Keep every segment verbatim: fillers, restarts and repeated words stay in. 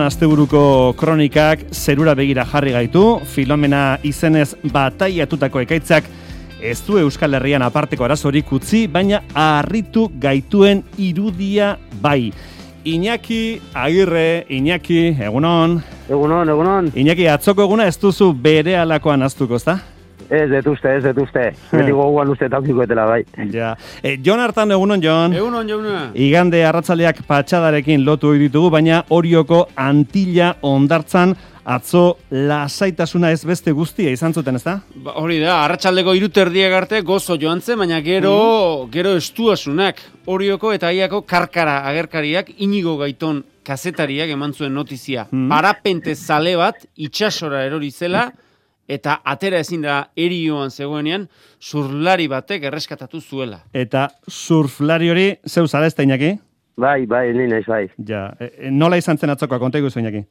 Asteburuko kronikak zerura begira jarri gaitu, Filomena izenez bataiatutako ekaitzak ez du Euskal Herrian aparteko arazorik utzi, baina harritu gaituen irudia bai. Iñaki Agirre, Iñaki, egunon. Egunon, egunon. Iñaki, atzoko eguna ez duzu bere alakoan aztuko, ezta? Ez detuzte, ez detuzte. Beti goguan uste taukikoetela, bai. Ja. E, Jon hartan, egunon, Jon. Egunon, Jona. Igande arratzaleak patxadarekin lotu ditugu, baina Orioko Antilla hondartzan atzo lasaitasuna ez beste guztia izan zuten, ezta? Ba, hori da, arratsaldeko hiruterdiak arte gozo joan zen, baina gero, mm. gero estuasunak. Orioko eta Aiako karkara agerkariak Inigo Gaiton kazetariak eman zuen notizia. Mm. Parapente zale bat itsasora erori zela, eta atera ezin da erioan zegoenean, surflari batek erreskatatu zuela. Eta surflari hori zeu zara ez da, Iñaki? Bai, bai, ni naiz, bai. Ja, e, nola izan zen atzokoa, konta iguzu, Iñaki?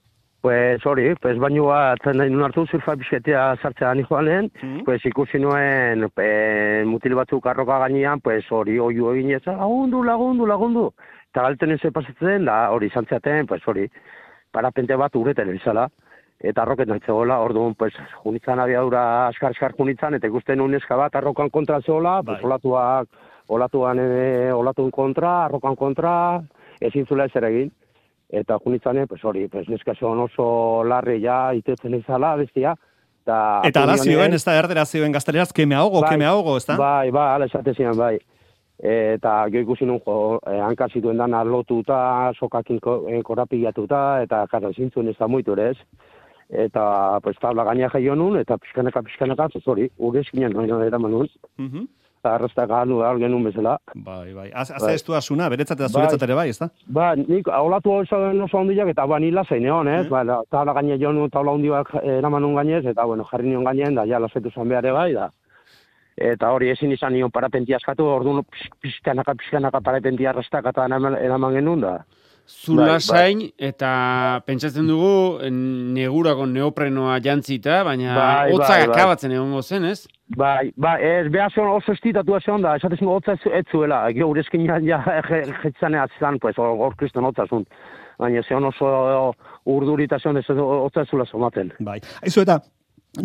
Pues hori, pues baino bat nahi nun hartu surfa bizketea sartzea ni joanen, mm. pues ikusi nuen e, mutil batzuk arroka gainean, pues hori oiu egin ez, lagundu, lagundu, lagundu. Eta galten ez pasatzen, da hori izan zeaten, pues hori, parapente bat ureten bizala. Eta arroket nahi zegoela, orduan, pues, junitzan abiadura askar-askar junitzan, eta ikusten uneska bat arrokan kontra zegoela, pues, olatuak, olatuan, e, olatun kontra, arrokan kontra, ezin zula ezer egin. Eta junitzan, pues, hori, pues, neska zegoen oso larri ja, itetzen izala, bestia. Eta, eta ala zioen, ez da erdera zioen gazteleraz, que me ahogo, bai, que me ahogo, ez da? Bai, bai, ala esate zian, bai. Eta gero ikusi nun, jo, eh, hanka zituen dana lotuta, sokakin korapilatuta, eta kara, zintzuen ez da muitu ere ez. Eta, pues, tabla gaina jaio nun, eta pixkanaka, pixkanaka, pues, hori, urezkinan noina eraman nun. Uh-huh. Eta arrastak ganu da, genuen bezala. Bai, bai. Az, az bai. Ez du asuna, beretzat eta zuretzat ere bai, ez da? Ba, nik, olatu oso oso handiak, eta ba, nila zein egon, ez? Mm. Ba, tabla gaina jo nun, tabla handiak eraman nun gainez, eta, bueno, jarri nion gainen, da, ja, lasetu zan behar bai, da. Eta hori ezin izan nion parapentia askatu, orduan pixkanaka, pixkanaka parapentia arrastak eta eraman genuen, da. Zulasain, bai, bai. Eta pentsatzen dugu negurako neoprenoa jantzita, baina bai, hotzak bai, akabatzen bai. Egongo zen, ez? Bai, bai, ez behar zion oso estitatua zion da, esatezin hotza ez zuela, gero urezkin ja jetzanea zan, pues, hor kriston hotza zun. Baina zion oso urdurita zion, ez hotza ez zuela zomaten. Bai, haizu eta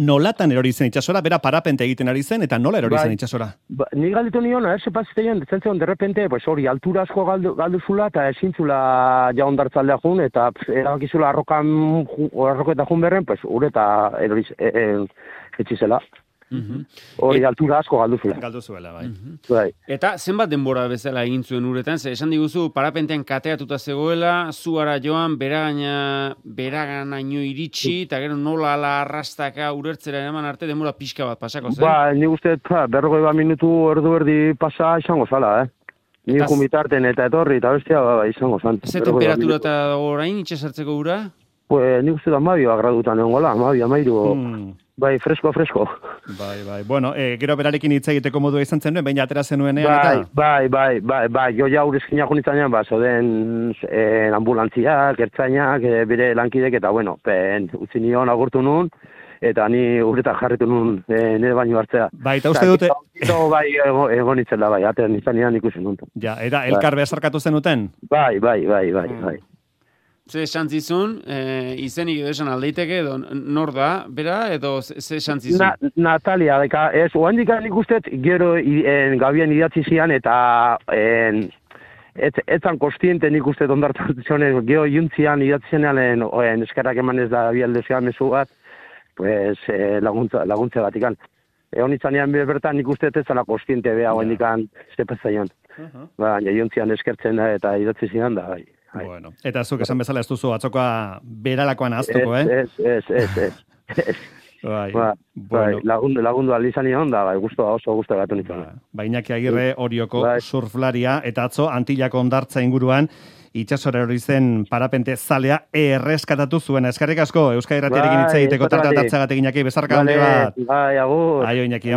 nolatan erori zen itxasora, bera parapente egiten ari zen, eta nola erori bai, zen itxasora? Ba, ni galditu nion, erse pasitean, zentzen de repente, pues hori, altura asko galdu, galdu zula, eta ezintzula ja ondartzaldea jun, eta erabakizula arrokan, arroketa jun berren, pues ure eta erori e, e, etxizela. Hori, mm-hmm. altura asko galdu zula. Galdu zuela, bai. Mm-hmm. Bai. Eta zenbat denbora bezala egin zuen uretan, ze esan diguzu, parapentean kateatuta zegoela, zuara joan, beragaina, beraganaino iritsi, eta gero nola ala arrastaka urertzera eraman arte denbora pixka bat pasako zen? Ba, ni uste, berrogei bat minutu erdu erdi pasa izango zala, eh? Ni kumitarten eta etorri, eta bestia, ba, izango zan. Ze temperatura eta orain, itxasartzeko ura? Pues, ni uste da mabioa gradutan egon gola, mabioa, mairu... Hmm. Bai, fresko, fresko. Bai, bai. Bueno, eh, gero berarekin hitz egiteko modua izan zen nuen, baina atera zenuenean bai, eta... Bai, bai, bai, bai, jo ja urezkinak unitzanean, ba, zoden eh, ambulantziak, ertzainak, eh, bere lankidek, eta bueno, pen, utzi nion agurtu nun, eta ni urretak jarritu nun eh, nire baino hartzea. Bai, eta uste dute... Eta bai, egon itzen da, bai, atean nizanean ikusi nun. Ja, era, elkar behazarkatu zenuten? Bai, bai, bai, bai, bai. Ze esan zizun, e, izenik edo esan aldeiteke, edo nor da, bera, edo ze esan zizun? Na, Natalia, deka, ez, oan dikan ikustet, gero en, gabien idatzi zian, eta en, ez, etzan kostiente nik uste ondartan zionen, gero juntzian idatzi zenean, en, en, eskerrak eman ez da bialdezean mezu bat, pues, eh, laguntza, laguntza batikan. Egon itzanean bertan nik uste ez zala kostiente beha, oan dikan, zepezaion. Uh-huh. Ba, juntzian eskertzen da, eta idatzi zian da, bai. Bueno, eta zuk esan bezala ez duzu atzokoa beralakoan ahaztuko, eh? Ez, ez, ez, ez. Bai, ba, bueno. Bai, lagundu, lagundu aldizan nion da, bai, guztua oso guztua gatu nintzen. Ba, ba, Iñaki Agirre, Orioko bai. Surflaria, eta atzo Antillako hondartza inguruan, itxasora hori zen parapente zalea erreskatatu zuena. Eskerrik asko, Euskadi Irratiarekin hitz egiteko tartea tartzagatik Iñaki, bezarka handi bat. Bai, agur. Aio, Iñaki.